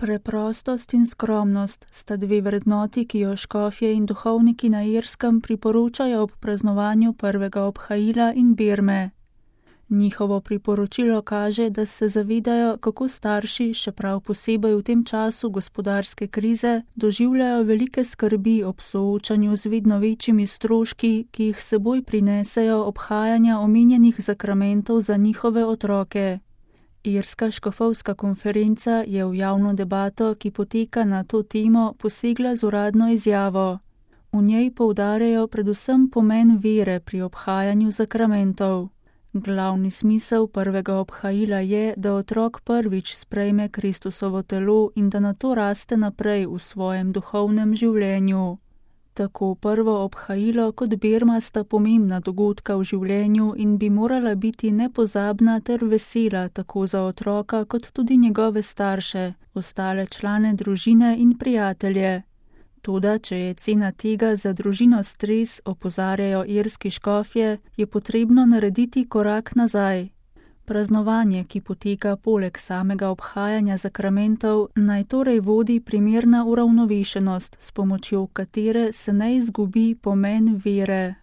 Preprostost in skromnost sta dve vrednoti, ki jo škofje in duhovniki na Irskem priporočajo ob praznovanju prvega obhajila in birme. Njihovo priporočilo kaže, da se zavedajo, kako starši, še prav posebej v tem času gospodarske krize, doživljajo velike skrbi ob soočanju z vedno večjimi stroški, ki jih seboj prinesejo obhajanja omenjenih zakramentov za njihove otroke. Irska škofovska konferenca je v javno debato, ki poteka na to temo, posegla z uradno izjavo. V njej poudarjajo predvsem pomen vere pri obhajanju zakramentov. Glavni smisel prvega obhajila je, da otrok prvič sprejme Kristusovo telo in da nato raste naprej v svojem duhovnem življenju. Tako prvo obhajilo kot birma sta pomembna dogodka v življenju in bi morala biti nepozabna ter vesela tako za otroka kot tudi njegove starše, ostale člane družine in prijatelje. Toda, če je cena tega za družino stres, opozarjajo irski škofje, je potrebno narediti korak nazaj. Praznovanje, ki poteka poleg samega obhajanja zakramentov, naj torej vodi primerna uravnovešenost, s pomočjo katere se ne izgubi pomen vere.